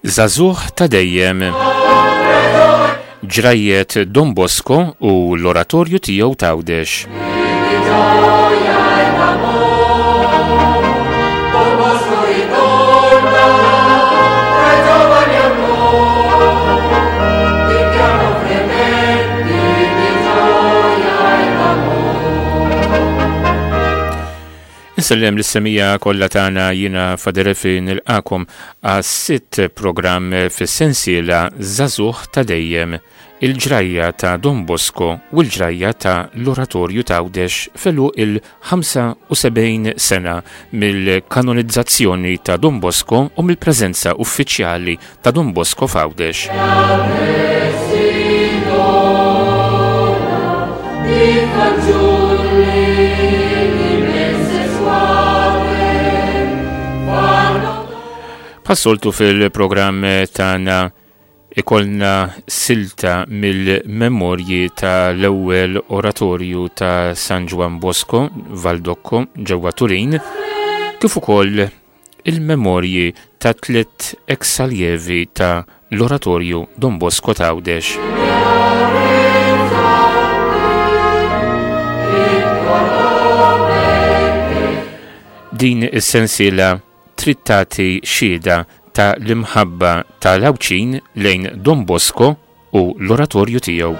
Żagħżugħ ta' dejjem. Ġrajjet Don Bosco u l-Oratorju tiegħu t'Għawdex. Insellem lis-semija kollha tagħna jiena Faderefi nilqakom għas-sitt programm fis-sensiela Żagħżugħ ta' dejjem, il-ġrajja ta' Don Bosco u l-ġrajja ta' l-Oratorju t'Għawdex f'għeluq il-75 sena mill-kanonizzazzjoni ta' Don Bosco u mill-preżenza uffiċjali ta' Don Bosco f'Għawdex. Bħas-soltu fil-programm tagħna ikollna silta mill-memorji ta' l-ewwel oratorju ta' San Ġwann Bosco, Valdocco, ġewwa Turin, kif ukoll il-memorji ta' tliet ex-aljevi ta' l-Oratorju Don Bosco t'Għawdex. Din is-sensiela trid tagħti xhieda ta' l-imħabba ta' l-Għawdxin lejn Don Bosco u l-oratorju tiegħu.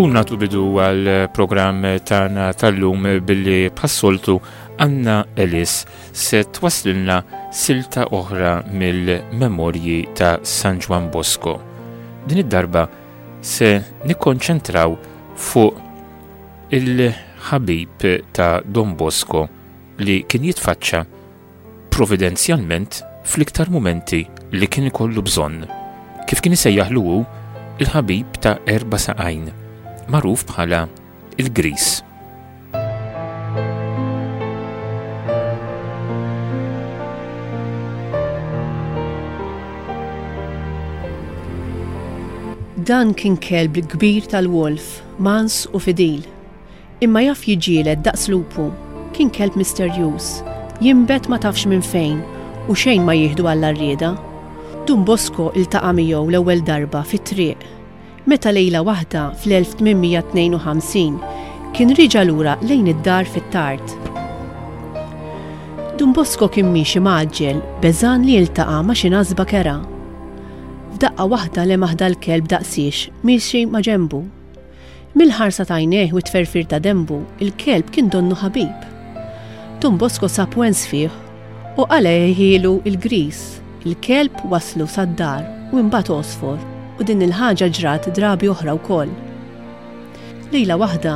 U natu bidu għal programm tagħna tal-lum billi bħas-soltu Anna Ellis se twaslilna silta oħra mill-memorji ta' San Ġwann Bosco. Din id-darba se nikkonċentraw fuq il-ħabib ta' Don Bosco li kien jitfaċċa providenzjalment fl-iktar mumenti li kien ikollu bżonn, kif kien isejjaħlu hu, il-ħabib ta' erba' saqajn, magħruf bħala il-Gris. Dan kien kelb kbir tal-wolf, mans u fidil. Imma jaf jiġġieled daqs lupu. Kien kelb misterjuż. Jinbet ma tafx minn fejn u xejn ma jieħdu għall-għarrieda. Dun Bosco iltaqa' miegħu l-ewwel darba fit-triq. Meta lejla waħda fl-1852 kien rieġa' lura lejn id-dar fit-tard. Dun Bosco kien miexi mgħaġġel beżgħan li jiltaqa' ma' xi nasba kerha. F'daqqa waħda lemaħ dal-kelb daqsiex miexi ma' ġenbu. Mill-ħarsa t'għajnejh u t-tferfir ta' denbu, il-kelb kien donnu ħabib. Dun Bosco sab wens fih u qalgħihielu l-griż. Il-kelb wasslu sad-dar u imbagħad għosfor u din il-ħaġa ġrat drabi oħra wkoll. Lejla waħda,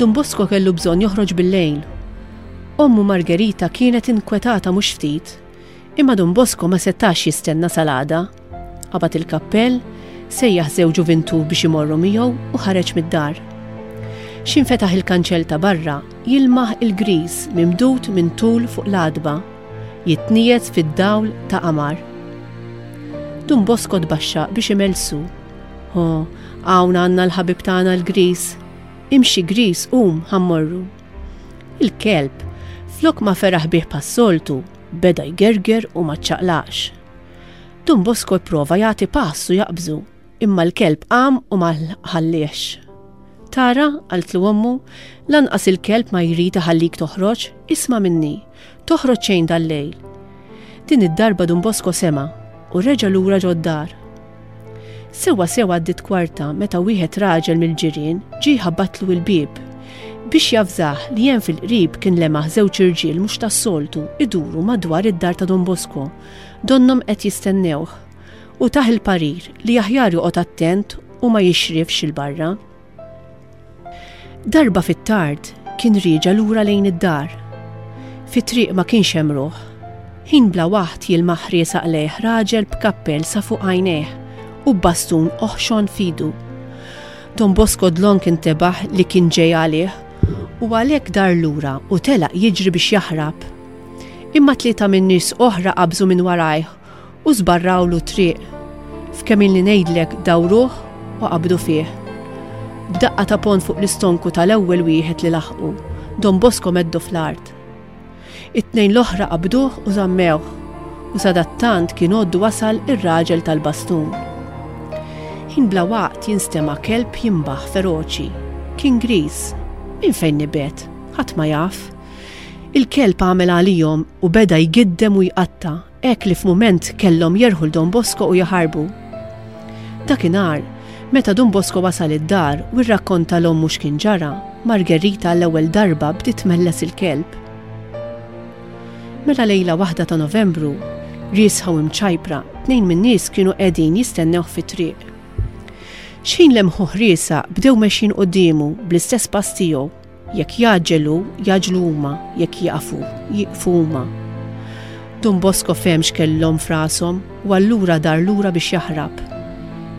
Dun Bosco kellu bżonn joħroġ bil-lejl. Ommu Margherita kienet inkwetata mhux ftit. Imma Dun Bosco ma setax jistenna sal-għada. Qabad il-kappell, sejjaħ żewġu vintur biex imorru miegħu u ħareġ mid-dar. X'infetaħ il-kanċell ta' barra, jilmaħ il-griż mimdud minn tul fuq l-għatba, jitniegħed fid-dawl ta' qamar. Dun Bosco tbaxxaq biex imellsu. Ho, hawn għandna l-ħabib tagħna l-griż. Imxi griż, qum, ħa mmorru. Il-kelb, flok ma feraħ bih bħas-soltu, beda jgerger u ma ċċaqlaqx. Dun Bosco ipprova jagħti pass u jaqbżu, imma l-kelb qam u ma ħalliehx. Tara, qaltlu ommu, lanqas il-kelb ma jrid iħallik toħroġ, isma' minni, toħroġ xejn dal-lejl. Din id-darba Dun Bosco sema' u reġa' lura ġod-dar. Sewwa sew għaddiet kwarta meta wieħed raġel mill-ġirien ġie jħabbatlu il-bieb biex javżah li hemm fil-qrib kien lemaħ żewġ irġiel mhux tas-soltu iduru madwar id-dar ta' Don Bosco, donnhom qed jistennewh. u tah il-parir li aħjar joqgħod attent u ma jixrifx 'il barra. Darba fit-tard kien rieġa' lura lejn id-dar. Fit-triq ma kienx hemm ruħ. Ħin bla waħd jilmaħ riesaq lejh raġel b'kappell sa fuq għajnejh u b'bastun oħxon f'idu. Don Bosco dlonk intebaħ li kien ġej għalih u għalhekk dar lura u telaq jiġri biex jaħrab. Imma tlieta min-nies oħra qabżu minn warajh u żbarrawlu t-triq. F'kemm ilni ngħidlek dawruh u qabdu fih. B'daqqa ta' ponn fuq l-istonku tal-ewwel wieħed li laħqu, Don Bosco meddu fl-art. It-tnejn l-oħra qabduh u żammewh, u sadattant kien għoddu wasal ir-raġel tal-bastun. Ħin bla waqt jinstema' kelb jinbaħ feroċi. Kien griż. Minn fejn nibet? Ħadd ma jaf. Il-kelb għamel għalihom u beda jgiddem u jqatta' hekk li f'mument kellhom jerħu 'l Don Bosco u jaħarbu. Dakinhar, meta Dun Bosco wasal id-dar u rrakkonta 'l ommu x'kien ġara, Margherita għall-ewwel darba bdiet tmelles il-kelb. Mela lejla waħda ta' Novembru, riesħa u mċajpra, tnejn min-nies kienu qegħdin jistennewh fit-triq. Xħin lemħuh riesaq bdew mexjin quddiemu bl-istess pass tiegħu. Jekk jgħaġġel hu, jgħaġġlu huma, jekk jieqaf hu, jieqfu huma. Dun Bosco fehem x'kellhom f'rashom u allura dar lura biex jaħrab.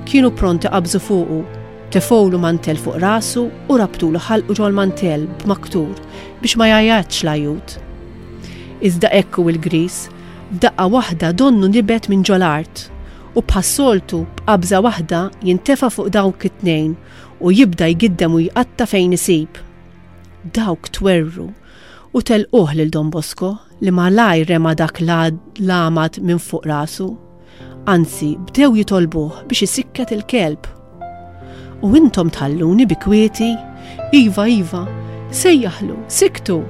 Kienu pronti qabżu fuqu, tefgħulu mantell fuq rasu u rabtulu ħalqu ġol-mantell b'maktur biex ma jgħajjatx l-għajjut. Iżda hekk hu l-griż, f'daqqa waħda donnu nibet minn ġol-art u bħas-soltu b'qabża waħda jintefa' fuq dawk it-tnejn u jibda jgiddem u jqatta' fejn isib. Dawk twerwru u telquh lil Don Bosco li malajr rema dak l-għamad minn fuq rasu. Anzi, bdew jitolbuh biex isikket il-kelb. U intom tħalluni bi kwieti? Iva, iva, sejjaħlu, siktu!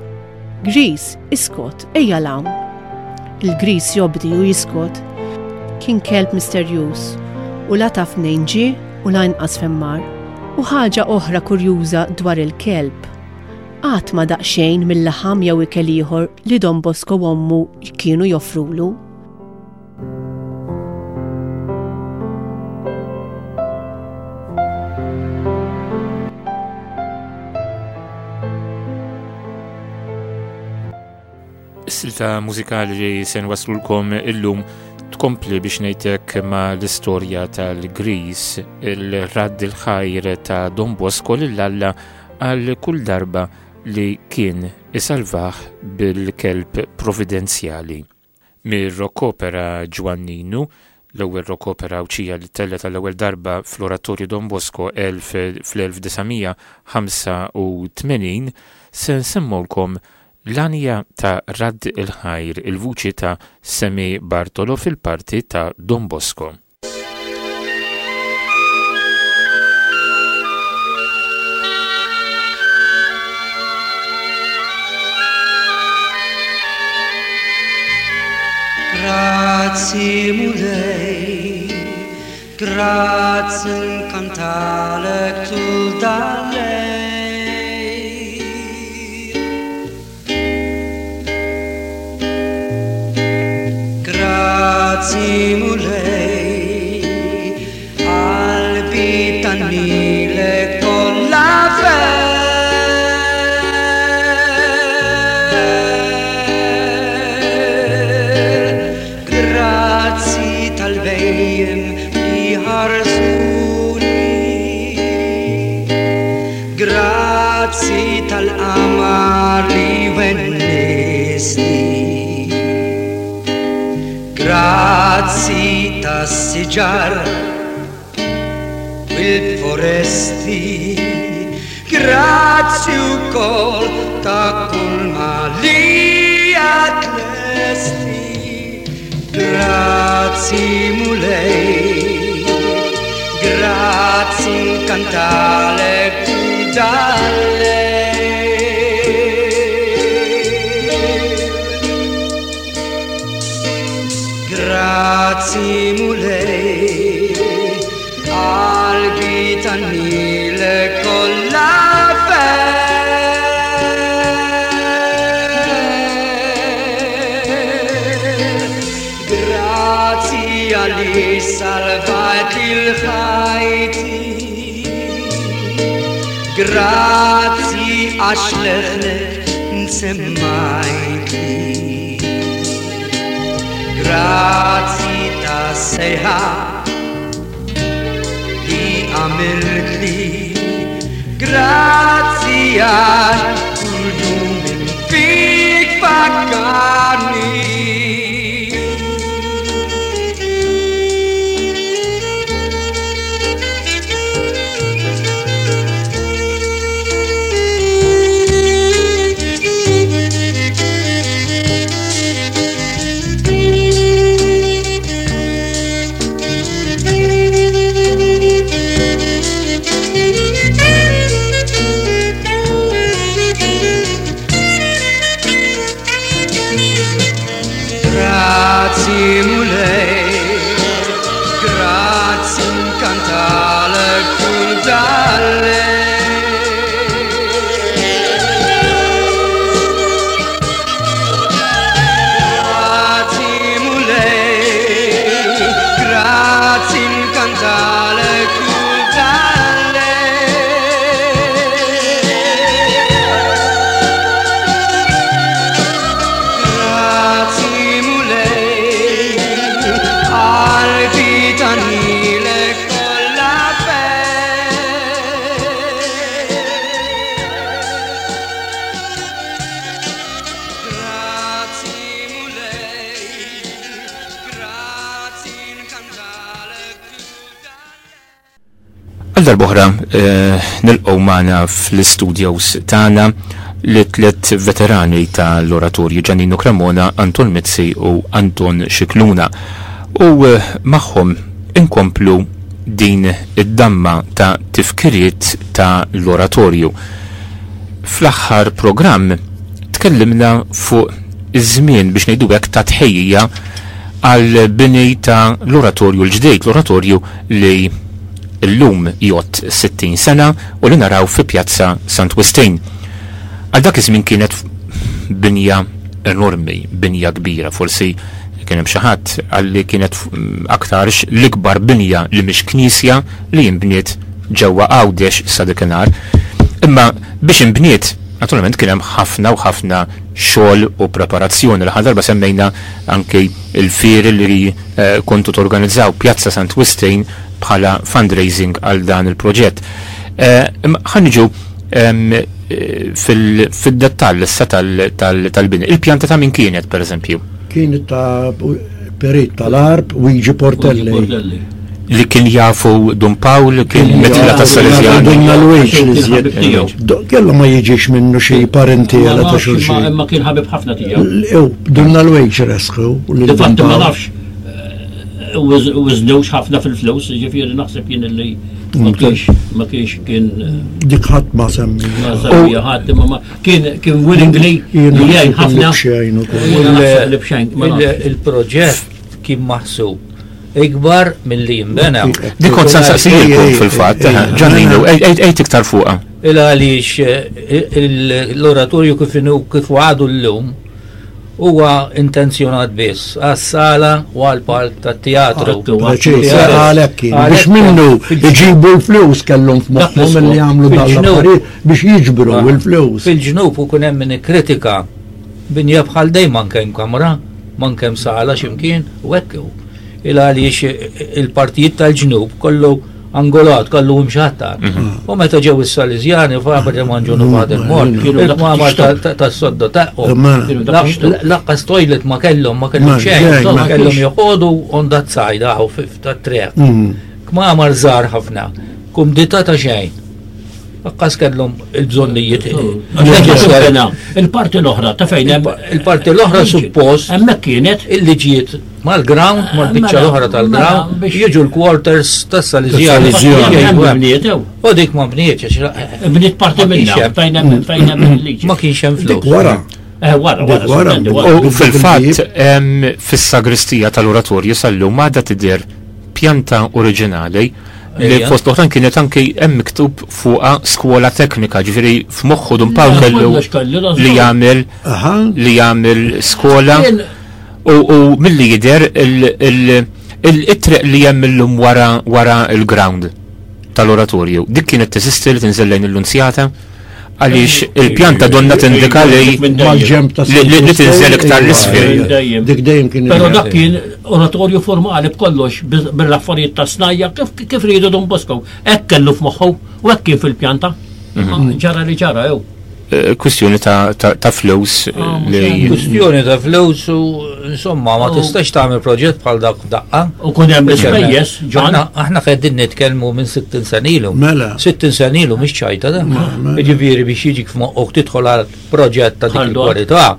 Griż, iskot, ejja 'l hawn. Il-griż jobdi u jiskot. Kien kelb misterjuż u la taf mnejn ġie u la inqas fejn mar. U ħaġa oħra kurjuża dwar il-kelb, qatt ma daq xejn mil-laħam jew ikel ieħor li Don Bosco u ommu kienu joffrulu. Is-silta mużikali li se nwaslulkom illum tkompli biex ngħidlek ma l-istorja tal-Gris, il-radd il-ħajr ta' Don Bosco lil Alla għal kull darba li kien isalvah bil-kelb providenzjali. Mir-rock-opera Ġwanninu, l-ewwel rock-opera Għawdxija li ttellgħet għall-ewwel darba fl-Oratorju Don Bosco 1985, se nsemmgħulkom l-għanja ta' Radd il-Ħajr, il-vuċi ta' Sammy Bartolo fil-parti ta' Don Bosco. Grazzi Mulej, grazzi nkantalek tul dal-lejl. Grazzi Mulej, qalbi tannilek kollha ferħ. Grazzi tal-bhejjem li ħarsuni. Grazzi tal-qamar li wennisni. Grazzi tas-siġar u l-foresti. Grazzi wkoll ta' kull ma li għad lesti. Grazzi Mulej, grazzi nkantalek tul dal-lejl. Grazzi Mulej, qalbi tannilek kollha ferħ. Grazzi għaliex salvajt il-ħajti. Grazzi għax leħnek nsemmajtli. Grazzi ta' sejħa li għamiltli. Grazzi għax kull jum fik fakkarni. Grazzi Mulej, grazzi nkantalek kull dallej. Grazzi Mulej, grazzi nkantalek kull dallej. Grazzi Mulej, qalbi tanilek kollha ferħ. Grazzi Mulej, grazzi nkantalek kull dallej. Għal darb'oħra eh, nilqgħu magħna fl-istudios tagħna li tliet veterani tal-oratorju Giannino Cremona, Anton Mizzi u Anton Scicluna. U eh, magħhom inkomplu din id-damma ta' tifkiriet ta' l-oratorju. Fl-aħħar programm tkellimna fuq iż-żmien biex ngħidu hekk ta' tħejjija għal bini ta' l-oratorju l-ġdid, l-oratorju li illum jgħodd 60 sena u li naraw fi Pjazza Sant Wistin. Għal dak iż-żmien kienet binja enormi, binja kbira, forsi kien hemm xi ħadd għalli kienet aktarx l-ikbar binja li mhix knisja li jinbniet ġewwa Għawdex sa dakinhar. Imma biex inbniet, naturalment kien hemm ħafna u ħafna xogħol u preparazzjoni. L-aħħar darba semmejna anki il-fieri li eh, kontu torganizzaw Pjazza Sant Wistin bħala fundraising għal dan il-proġett. Eh, imma ħa niġu eh, fil-dettall issa tal-bini. Il-pjanta ta' min kienet, per eżempju? Kienet ta' perit tal-Għarb, Luigi Portelli. Li kien jafu Dun Pawl, kien mitla ta' Salesjani. Dunna Luigi Kien li ħabib żjed. tiegħu. Kellu ma jiġix minnu xi parentela ta' xulxin. Imma kien ħabib ħafna tiegħu. Ew, Dunna Luigi resħu. lil Dun Difatti ma Pawl. nafx użnewx ħafna fil-flus, ġifieri naħseb jien li ma kienx ma kienx kien Dik ħadd ma semmi. ma semmi ħadd imma ma kien kien willingly Jien li jgħin naħseb ħafna. li b'xejn ukoll. Jiena naħseb li b'xejn, ma nafx. Il-proġett kien maħsub ikbar milli jinbena. Dik kont sa nsaqsijilkom fil-fatt, Giannino, ejt iktar fuqha. Il għaliex eh, l-oratorju kif inhu kif għadu l-lum huwa intenzjonat biss għas-sala u għall-palk tat-teatru. Preċiż, għalhekk kien. Biex minnu iġibu l-flus kellhom f'moħħhom li jagħmlu dan l-affarijiet biex jiġbru l-flus. Fil-ġnub u kun hemm min ikkritika binja bħal dejjem manke hemm kamra, manke hemm sala x'imkien u hekk hu. Il għaliex il-partijiet tal-ġnub kollu angolat, kollu mxattar. U meta ġew is-Salesjani Faber de Manġunu Fader Mor, Kienu dak il-kmamar ix-xtokk. tas-sodda tagħhom. Mela. Kienu dak ix-xtokk. Laqqas toilet ma kellhom, ma kellhom Ma xejn, xejn, insomma, ma kellhom kienx. joqogħdu on that side aħu tat-triq. Mm. Kmamar żgħar ħafna, kumdità ta' xejn. Laqqas kellhom il-bżonnijiet. Bena, Il-parti l-oħra ta' fejn hemm Il-parti l-oħra suppost hemmhekk kienet illi ġiet mal-ground, mal-biċċa Mela, l-oħra tal-ground, mela, biex- jiġu l-quarters tas-Salesjani. Tas-Salesjani. Hemm bniet ew. U dik ma bnietx, għax- Bniet parti Ma kienx minnha hemm. fejn hemm fejn hemm il-liġi. ma kienx hemm Dik flus. wara. Eh, wara, wara, Dik wara. sorprendi, wara. U fil-fatt, em, fis-sagristija tal-oratorju sal-lum għadha tidher pjanta oriġinali li Ejja. fost l-oħrajn kienet anki hemm miktub fuqha skola teknika, ġifieri f'moħħu Dun Pawl Le, kellu kollox kellu, da li żgur. jagħmel Aha. li jagħmel skola Kien- u, u milli jidher il- il- Il-triq li hemm illum wara wara il-ground tal-oratorju, dik kienet teżisti li tinżel lejn il-Lunzjata? Għaliex il-pjanta donna tindika li li tinżel iktar l-isfel. Dik dejjem kien. Però dak kien oratorju formali b'kollox bil-affarijiet ta' snajja kif riedu Don Bosco. Hekk kellu f'moħħu u hekk kien fil-pjanta. Mhm. Ġara li ġara jew. Eh, kwistjoni ta' flus eh, ah, li. Kwistjoni ta' flus u insomma ma tistax tagħmel proġett bħal dak daqqa. U kun hemm l-ispejjeż, Ġon. Aħna qegħdin nitkellmu minn 60 sena ilu. Mela. 60 sena ilu mhix ċajta da. Mela. Jiġifieri biex jiġik f'moħħok tidħol għal proġett ta' dik il-kwalità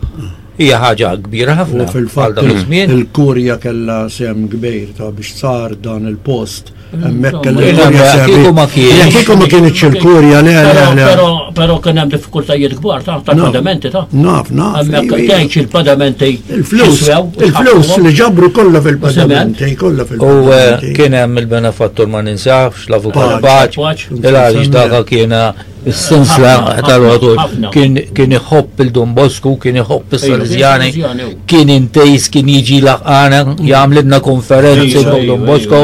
hija ħaġa kbira ħafna. U fil-fatt il-kurja kellha sem kbir ta' biex sar dan il-post Hemmhekk kellu il-kurja Kieku ma kienx. Kieku ma kienx il-kurja le le le. Però kien hemm diffikultajiet kbar ta' tal-padamenti ta' Naf, naf. Hemmhekk tgħidx il-padamenti. Il-flus, il-flus li ġabru kollha fil-padamenti, kollha fil-padamenti. U eh, kien hemm il-benefattur ma ninsafx, l-avukat Paċ, il-għaliex daka kiena Is-sinsla tal-għodur kien iħobb il-Don Bosco, kien iħobb is-Salesjani, kien intejs, kien jiġi laqana, jagħmlilna konferenzi fuq Don Bosco.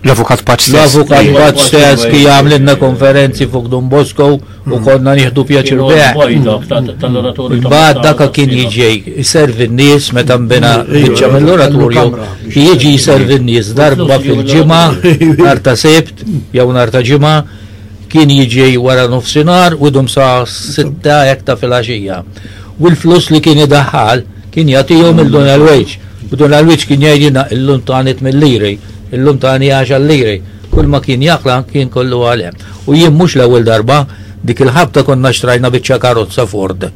L-Avukat Paċ stess. L-Avukat Paċ stess kien jagħmlilna konferenzi fuq Don Bosco u konna nieħdu pjaċir bih. Imbagħad daka kien jiġi jservi n-nies meta nbena biċċa mill-oratorju, jiġi jservi n-nies darba fil-ġimgħa, nhar ta' Sibt jew nhar ta' Ġimgħa Kien jiġi wara nofsinhar u jdum sa sitta hekk ta' filgħaxija. U l-flus li kien idaħħal kien jagħtihom il Dun Alwiġ. U Dun Alwiġ kien jgħidilna illum tani tmien liri, illum tani għaxar liri. Kull ma kien jaqla' kien kollu għal hemm. U jien mhux l-ewwel darba, dik il-ħabta konna xtrajna biċċa karozza Ford.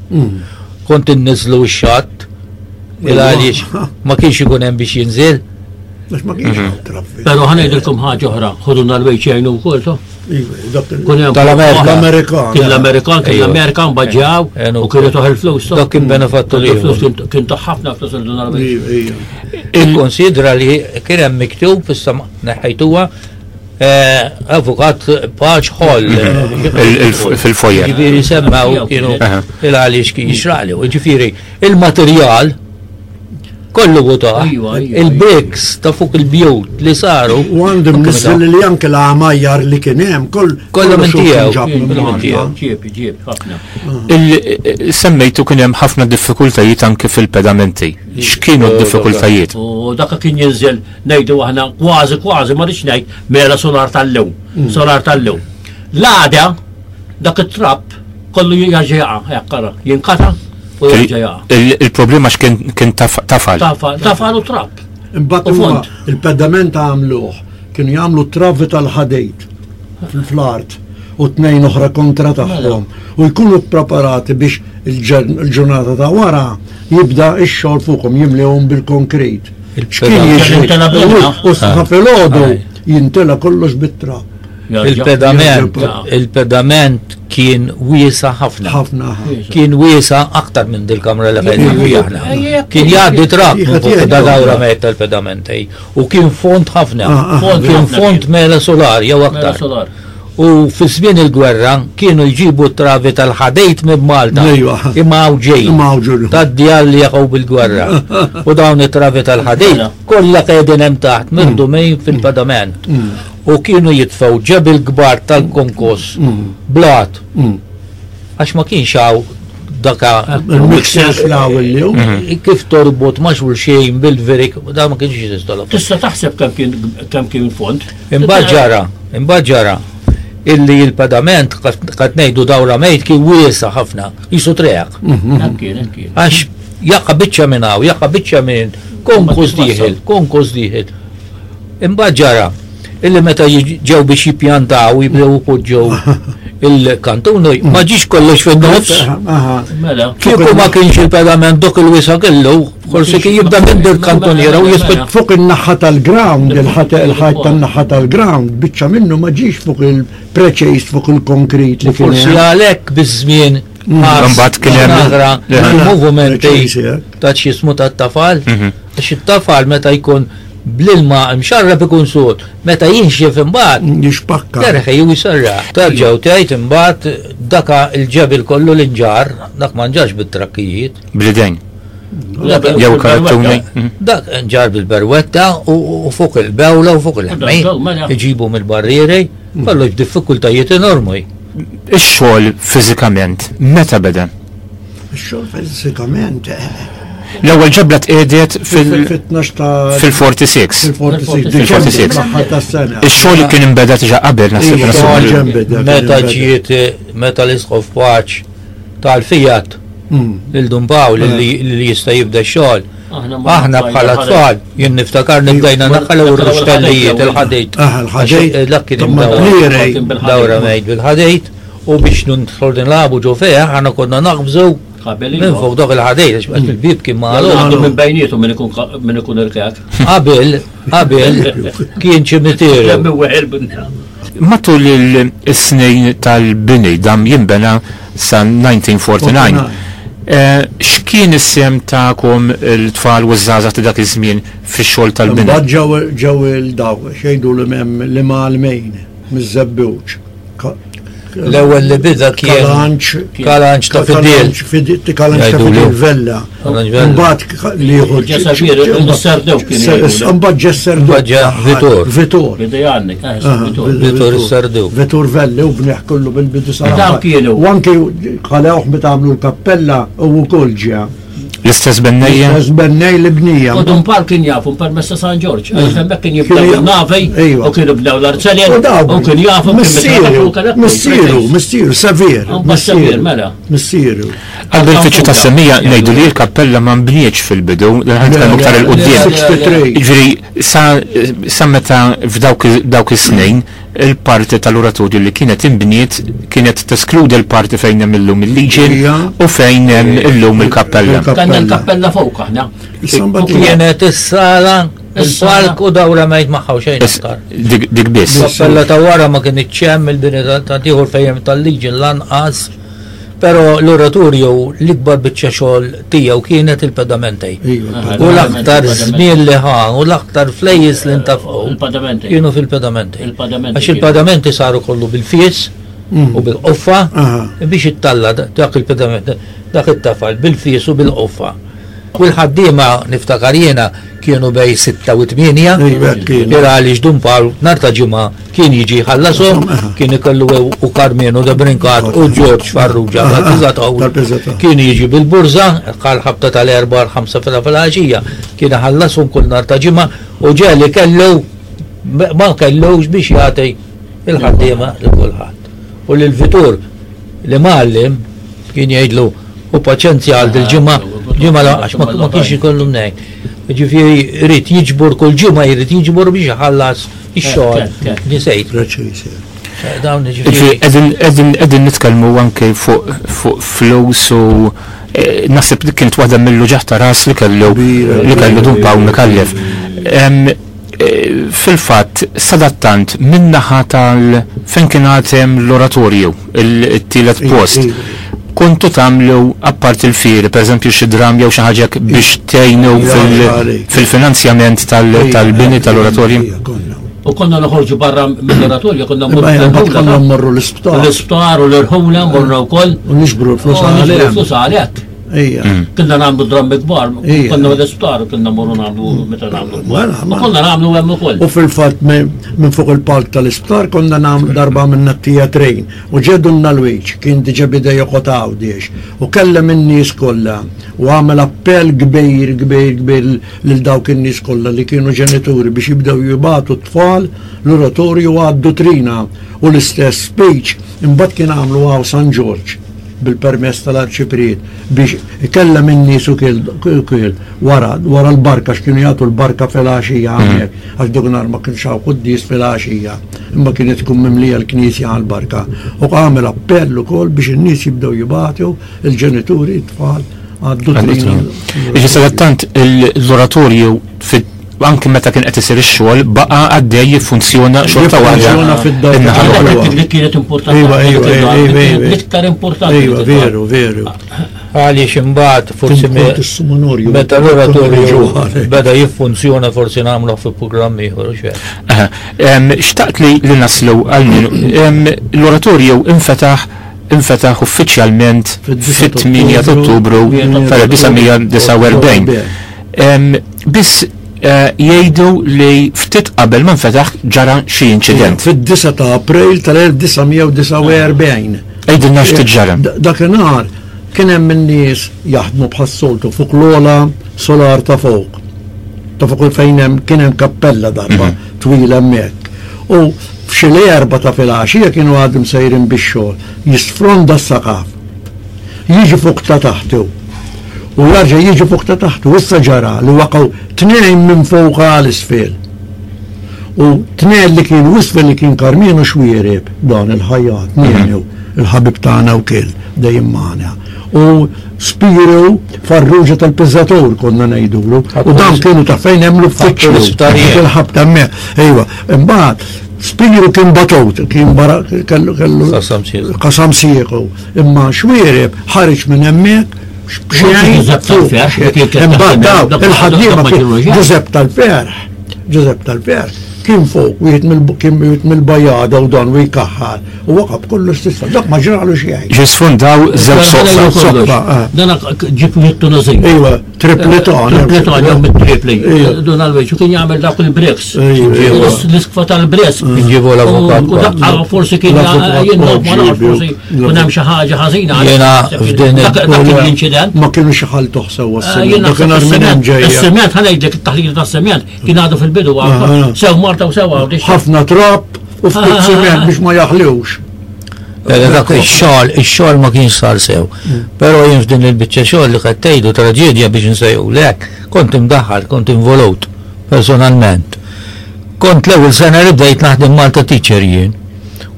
Kont inniżżlu x-xatt, il għaliex ma kienx ikun hemm biex jinżel. Għax ma kienx hawn traffiku. Però ħa ngħidilkom ħaġa oħra, ħuduna l-wejċ jgħinu wkoll to. Tal-Amerika. L-Amerikan. Kien l-Amerikan, kien l-Amerikan baġġaw u kienu toħ il-flus. Dak kien benefattu li. Kien toħ ħafna flus il-donar. Ikkonsidra li kien hemm miktub issa neħħejtuha eh, avukat Paċ Hall. Fil-foyer. Ġifieri semmaw kienu il-għaliex kien jixraqli. Ġifieri il-materjal Kollu votaħ. Il-bricks ta' fuq il-bjut li saru. U għandu mniżżel li anke l-għamajjar li kien hemm koll kollu minn tiegħu. Ġieb, ġieb, ħafna. Semmejtu kien hemm ħafna diffikultajiet anke fil-pedamenti. X'kienu d-diffikultajiet? U dak kien jinżel ngħidu aħna kważi kważi ma rridx ngħid mela solar tal-lew. Mm. Solar tal-lew. L-għada dak it-trapp kollu jerġa' jaqa' hekk ara, jinkata u jerġa' jaqa'. Il-problema x'kien kien tafal. Tafal, tafal u trab. Imbagħad huma il-pedament għamluh, kienu jagħmlu travi tal-ħadid fl-art u tnejn oħra kontra tagħhom u jkunu ppreparati biex il-ġurnata ta' wara jibda x-xogħol fuqhom jimlewhom bil-konkrit. X'kien jiġri? U sa filgħodu jintela kollox bit-trab. Il-pedament, il-pedament kien wiesa ħafna. Ħafna. Kien wiesa aktar minn dil-kamra li qegħdin fiha aħna. Kien jgħaddi trak minn fuq da dawra mejt tal-pedament U kien fond ħafna. Ah, ah. Kien fond mela solar jew aktar. U fi żmien il-gwerra kienu jġibu travi tal-ħadejt minn Malta. Imma hawn ġej. Tad-djar li jaqgħu bil-gwerra. U dawn it-travi tal-ħadejt mela. kollha qegħdin hemm taħt mirdumin fil-pedament. Mm. U kienu jitfgħu ġebel kbar tal-konkos blat. Għax ma kienx hawn daka. Il-mixers law illum. Kif torbot ma' xulxejn bil-virik, da ma kienx jeżistu l Tista' taħseb kemm kien kemm kien fond. Imbagħad ġara, imbagħad ġara illi l-pedament qed ngħidu dawra mejt kien wiesa' ħafna, qisu treq. Hekk kien, hekk kien. Għax jaqa' biċċa minn hawn, jaqa' biċċa minn konkos dieħel, konkos dieħel. Imbagħad ġara illi meta ġew biex jippjantaw jibdew ipoġġew il-kantun ma ġiex kollox fin-nofs. Mela. Kieku ma kienx il-pedament dok il-wisa kellu, forsi kien jibda minn dik kantuniera u jispiċċa. Fuq in-naħa tal-ground, il-ħajt tan-naħa tal-ground, biċċa minnu ma ġiex fuq il-preċejs fuq il-konkrit li kien. Forsi għalhekk biż-żmien Imbagħad kien hemm movimenti ta' x'jismu tat-tafal. Għax it-tafal meta jkun bl-ilma mxarrab ikun sod, meta jinxef imbagħad. Jixpakka. Terħi u jserraħ. Terġa' u tgħid imbagħad daka l-ġebel kollu li nġarr, dak ma nġarrx bit-trakkijiet. Bl-idejn. Jew karattuni. Dak nġar bil-berwetta u fuq il-bewla u fuq il-ħmej. Mela. Iġibu mill-barrieri, kollox diffikultajiet enormi. Ix-xogħol fiżikament meta beda? Ix-xogħol fiżikament. L-ewwel ġebla tqiegħdet fil- Fit-12 ta' fil-46. fil-46. Fil-46. L-aħħar tas-sena. Ix-xogħol kien imbeda diġà qabel naħseb Iva, naħseb. ġa nbeda, kien Meta inbeda. ġiet meta l-isqof paċ tal-Fiat lil Dun Pawl li li jista' jibda x-xogħol. Aħna ma- Aħna bħala tfal, jien niftakar nibdejna naħħalew ir-ruxtellijiet il-ħadejt. Ah, il-ħadejt. Għax, Dak kien Imma imdawwar. blirej. Dawra mejt bil-ħadejt u biex nidħol nilagħbu ġo fih aħna konna naqbżu Qabel minn iva. fuq dok il-ħadejt għax bqgħet il-bib kien magħluq. Għandu minn bejnietu minn ikun minn ikun irkak. Qabel, qabel kien ċimiterju. Lemmi weħel bin- Matul il-snin tal-bini dam jinbena sa 1949. X'kien is-sem tagħkom il-tfal u ż-żgħażagħ ta' dak iż-żmien fix-xogħol tal-bini? Mbagħad ġew ġew il-daw, xejdu li mem li mgħallmejn miż-żebbuġ. L-ewwel li bida kien Kalanċ. Kalanċ ta' Fidil. Kalanċ ta' Jgħidulu. Fidil Vella. Kalanċ Vella. Mbagħad li jieħu Ġesser Sardew kien jgħidulu. Mbagħad Ġesser Mbagħad ġa Vitor. Vitor. Bidej għannik, eh, Aha, Vitor. Vitor Sardew. Vitor Velli u bniħ kollu bil-bidu sar. Dawn kienu. U anke ħalewh meta għamlu l-kappella u wkoll ġa. L-istess bennejja? L-istess bennej li bnija. U Dun Pawl kien jafu permess ta' San Ġorġ, għax hemmhekk kien jibdew Kien- il-navi Ejwa. u kienu bdew l-arzeljen U dawn. u kien jafu kien Missieru, missieru, missieru, sevir. Mbagħad sevir, mela. Missieru. Għal benefiċċju ta' semmija ngħidu li l-kappella ma nbnietx fil-bidu, dan nitkellmu iktar il quddiem. 63. Ġifieri sa sa meta f'dawk dawk is-snin il-parti tal-oratorju li kienet imbniet kienet teskludi l-parti fejn hemm illum il-Legion Ija. u fejn hemm illum il-kappella. Kanna l-kappella fuq aħna. Issa Kienet is-sala, Is-sala. il-palk u dawra mejt magħha u xejn Is- aktar. Dik dik biss. Kappella ta' wara ma kien hemm il-bini ta' tieħor fejn tal-liġi lanqas. Però l-oratorju l-ikbar biċċa xogħol tiegħu kienet il-pedamentej. Iva, U l-aktar żmien li ħa u l-aktar flejjes li ntafqu Il-padamenti. kienu fil-pedamenti. Il-pedamenti Għax kienu. il-pedamenti saru kollu bil-fies u bil-qoffa Aha. biex ittalla dak il-pedament, dak it-tafal bil-fies u bil-qoffa. U l-ħaddiema niftakar jiena kienu bej 6 u 8 Iva, kienu. Ira għaliex Dun Pawl nar ta' ġimgħa kien jiġi ħallasom, kien ikollu u Karmenu da Brinkat u Ġorġ Farrugia tal-Piżataw. Tal-Piżataw. Kien jiġi bil-burza, għal ħabta tal-erba' l-ħamsa fil-għaxija, kien ħallasom kull nar ta' ġimgħa u ġeli kellu ma kellux biex jagħti il-ħaddiema lil kulħadd. U lil Vitur li mgħallim kien jgħidlu u paċenzja għal dil-ġimgħa, ġimgħa la għax ma ma kienx ikollu mnejn. Ġifieri jrid jiġbor kull ġimgħa jrid jiġbor biex iħallas ix-xogħol. Kek, kek. Nisejt. Preċisi. Dawn Ġifieri ġifieri. qegħdin qegħdin qegħdin nitkellmu anke fuq fuq flus u eh, naħseb li kienet waħda mill-luġaħ ta' ras li kellu Kbira, li kellu Dun kbira. Pawl Micallef. Em, eh, Fil-fatt, sadattant, min-naħa tal fejn kien għad hemm l-oratorju, il-tielet Iva, post, iva. kontu tagħmlu apparti il-fieri, pereżempju xi dram jew xi ħaġa hekk biex tgħinu Iva, fil- għalik. fil-finanzjament tal- Iva, tal-bini tal-oratorju. Iva, konna. U konna noħorġu barra mill-oratorju, konna mmorru Imma mbagħad l-irħula, konna mmorru l-isptar. l-isptar u l-irħula morna wkoll. U nixbru l-flus U nixbru għalihom. l-flus għalhekk. Ija. Konna nagħmlu drammi kbar, Ija. konna l-isptar, konna mmorru nagħmlu meta nagħmlu kbar. Mela, U mela. konna nagħmlu hemm ukoll. U fil-fatt minn fuq il-palk tal-isptar konna nagħmlu darba minna t-tijatrin u ġedu l-wiċ kien diġa bida joqgħod Għawdex u kellem in-nies kollha u għamel appell kbir kbir kbir lil dawk in-nies kollha li kienu ġenituri biex jibdew jibatu t-tfal l-oratorju għad-dutrina u l-istess speech imbagħad kien għamlu għaw San Ġorġ bil-permess tal-arċipriet biex ikellem in-nies u kiel wara wara l-barka x'kienu jagħtu l-barka fil-għaxija hawnhekk għax dak nhar ma kienx hawn quddies fil-għaxija imma kienet tkun mimlija l-knisja għall-barka u għamel appell ukoll biex in-nies jibdew jibatu il-ġenituri t-tfal għad-dutrina. Iġi sadattant l-oratorju fit anke meta kien qed isir ix-xogħol baqa' għaddej jiffunzjona xorta waħda. Jiffunzjona fid-dar In-naħa ta' l-oħra. Dik li kienet importanti. Iva, iva, iva, iva, iva. L-iktar importanti. Iva, veru, veru. Għaliex imbagħad forsi me- Kont is-sumonorju. meta l-oratorju beda jiffunzjona forsi nagħmluh fi programm ieħor u xejn. Aha. Em, Xtaqt li li naslu għal min. Em, L-oratorju infetaħ infetaħ uffiċjalment fit-8 ta' Ottubru tal-1949. Biss eh, jgħidu li ftit qabel ma nfetaħ ġara xi inċident. Fid-9 ta' April tal-1949. Għidilna x'ftit ġara. Dakinhar kien hemm in-nies jaħdmu bħas-soltu fuq l-ola solar ta' fuq. Ta' fuq fejn hemm kien hemm kappella darba mhm. twila hemmhekk. U f'xi l-erba ta' filgħaxija kienu għadhom sejrin bix-xogħol, jisfronda s-saqaf. Jiġi fuq ta' taħtu. U jarġa' jiġi fuq ta' taħtu. Issa ġara li waqgħu tnejn minn fuq għal isfel. U tnejn li kienu isfel li kien Karmenu Xwiereb, dan il-ħajjat, Nenu, il-ħabib tagħna wkoll dejjem magħna. U Spiru Farrugia tal-Pizzatur konna ngħidulu. U dan kienu ta' fejn hemm l-uffiċċju. Il-ħabta hemmhekk. Ejwa, imbagħad Spiru kien batut, kien barra kellu kellu qasam siequ. Imma Xwiereb ħareġ minn hemmhekk Imbagħad daw il-ħaddiema Ġużepp tal-Ferħ, Ġużepp tal-Ferħ kien fuq wieħed kien wieħed mill-bajada u dan u jkaħħal u waqa' b'kollox s'isfel. Dak ma ġralu xejn. Ġie sfundaw żewġ soqfa. Eh. Dan ġib wieħed Tunużin. Iva, tripleton. Tripleton jew mit-tripli. Dun għal-weġ u kien jagħmel dak il-bricks. L-iskfa tal-bricks. Ġibu l-avukat. U daqqa forsi kien jien ma nafx forsi Kun hemm xi ħaġa ħażina. Jiena f'din l-inċident. Ma kienu xi ħaltuh sewwa eh, s-sement. Kien minn hemm ġejja. Is-sement ħa ngħidlek it-taħlita tas-sement kien għadu fil-bidu ah, ah. Sew Marta u sew Għawdex. Ħafna trab u ftit ah, sement biex ma jaħliwx. Eh, dak ix-xogħol, ix-xogħol ma kienx sar sew. Mm. Però jien f'din il-biċċa xogħol li qed tgħidu traġedja biex nsejħulek, kont imdaħħal, kont involut personalment. Kont l-ewwel sena li bdejt naħdem Malta Teacher jien.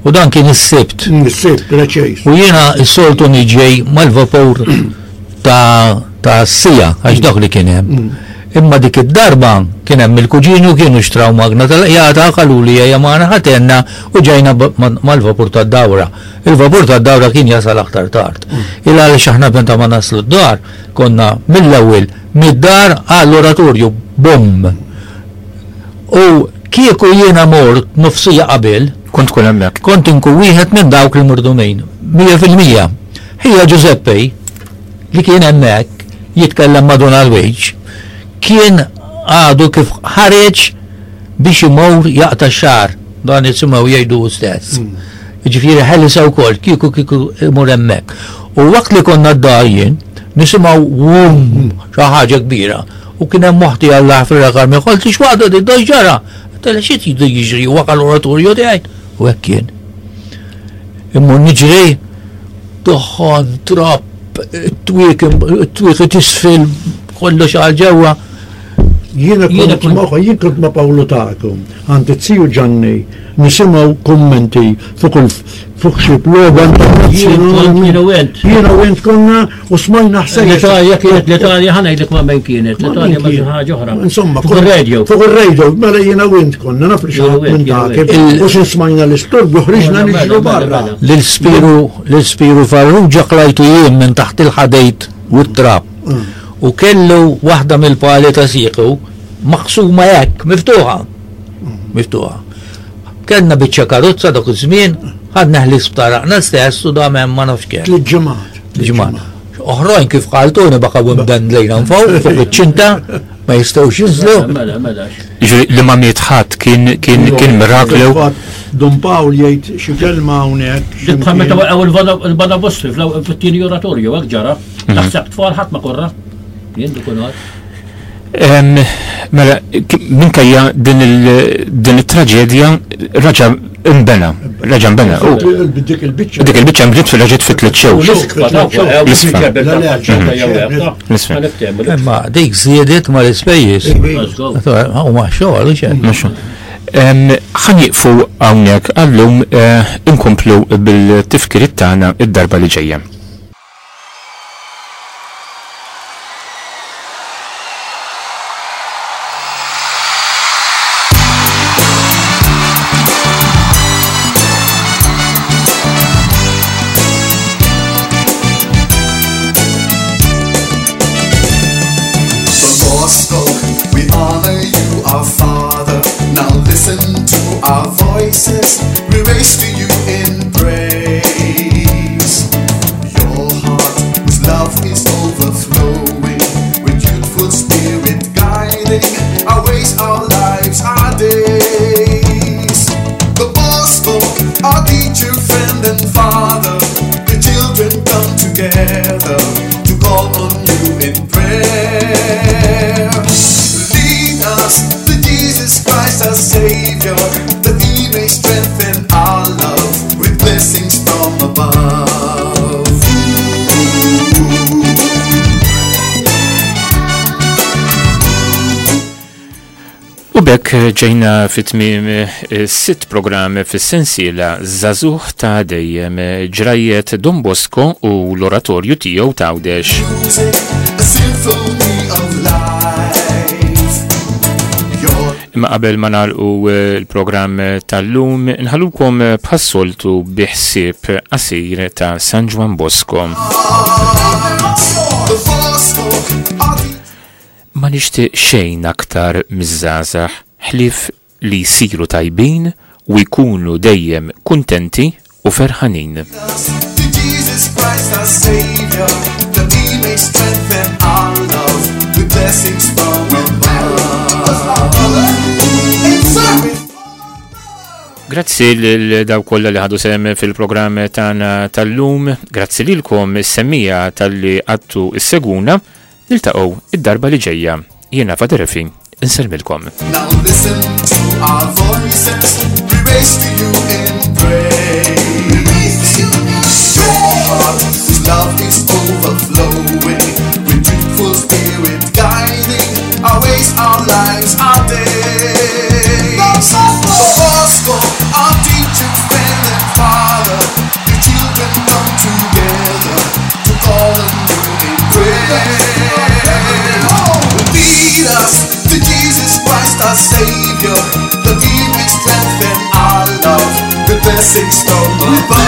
U dan kien is-Sibt. Mm, is-Sibt, preċiż. U jiena s-soltu niġi mal-vapur ta' ta' sija, għax dak li kien hemm. Mm. Imma dik id-darba kien hemm il-kuġini u kienu xtraw magna tal-qjata qaluli ejja magħna ħatenna u ġejna mal-vapur tad-dawra. Il-vapur tad-dawra kien jasal aktar tard. Mm. Il għaliex aħna meta ma naslu d-dar konna mill-ewwel mid-dar għall-oratorju bum. U kieku jiena mort nofsija qabel. Kont tkun hemmhekk. Kont inkun wieħed minn dawk il-murdumin. 100%. Ħija Giuseppe, li kien hemmhekk jitkellem ma' Dun Alwiġ, kien għadu kif ħareġ biex imur jaqta' x-xagħar. Dan nisimgħu jgħidu hu stess. Jiġifieri ħelisa wkoll kieku kieku imur hemmhekk. U waqt li konna d-dar jien, nisimgħu wum xi ħaġa kbira. U kien hemm oħti Alla jaħfirha Carmen, qaltli x'waħda din dan x'ġara? Għedtilha xi tridu jiġri waqa' l-oratorju tiegħi. U hekk kien. Immur niġri, duħħan, trab, it-twieki tisfel, kollox għal ġewwa. Jiena kont ma' jien kont ma' Pawlu tagħkom, għand iz-ziju Ġanni, nisimgħu kummenti fuq il fuq xi logħba internazzjonali. Jiena u int. Jiena u int konna u smajna ħsejjes. L-Italja kienet l-Italja ħa ngħidlek ma' min kienet, l-Italja ma' xi ħaġa oħra. Insomma, fuq ir-radio. Fuq ir-radio, mela jiena u int konna naf li xi ħadd minn dak. U xi smajna l-istorbju ħriġna niġru barra. Lil Spiru lil Spiru Farrugia qlajtu jien minn taħt il-ħadejt u t-trab. U kellu waħda mill-pali ta' siequ maqsuma hekk, miftuħa. Miftuħa. Kellna biċċa karozza dak iż-żmien, ħadna l-isptar aħna stess u dam hemm ma nafx kemm. Tliet ġimgħat. Ġimgħat. Oħrajn kif qaltuni baqgħu imdendlejn hawn fuq fuq iċ-ċinta ma jistgħux jinżlu. Mela, mela. Jiġifieri li ma miet ħadd kien kien kien miraklu. Dun Pawl jgħid xi kelma hawnhekk. Dik bħal meta waqgħu il-Badabostri fit-tieni oratorju hekk ġara. Taħseb tfal ħadd ma korra. Jien dik Mela, minkejja din it-traġedja raġa' imbena, raġa' imbena. Dik il-biċċa. Dik il-biċċa nbdiet fil-raġiet fit tliet xewx. L-isfa. Imma dik żiedet ma l-ispejjeż. Huma xogħol, xogħol. Ħa nieqfu hawnhekk għallum eh, inkomplu bil-tifkiriet tagħna id-darba li ġejja. Bosco, we honor you, our Father. Now listen to our voices, we raise to you in praise. Savior, that He may strengthen our love with blessings from above. U b'hekk ġejna fi tmiem is-sitt programm fis-sensiela Żagħżugħ ta' Dejjem, ġrajjet Don Bosco u l-Oratorju tiegħu t'Għawdex. Imma qabel ma nagħlqu l-programm tal-lum, nħallukom bħas-soltu bi ħsieb qasir ta' San Ġwann Bosco. Ma nixtieq xejn aktar miż-żgħażagħ ħlief li jsiru tajbin u jkunu dejjem kuntenti u ferħanin. Grazzi lil dawk kollha li ħadu sehem fil-programm tagħna tal-lum, grazzi lilkom is-semmiegħa talli qgħadtu issegwuna. Niltaqgħu id-darba li ġejja. Jiena Father Efi, insellmilkom. Now listen to our voices, we raise to you in praise. Your heart, whose love is overflowing, with truthful spirit guiding our ways, our lives, our days. Don Bosco, our teacher, friend and father, the children come together to call on you in prayer. Lead us to Jesus Christ, our Savior, that He may strengthen our love with blessings from above.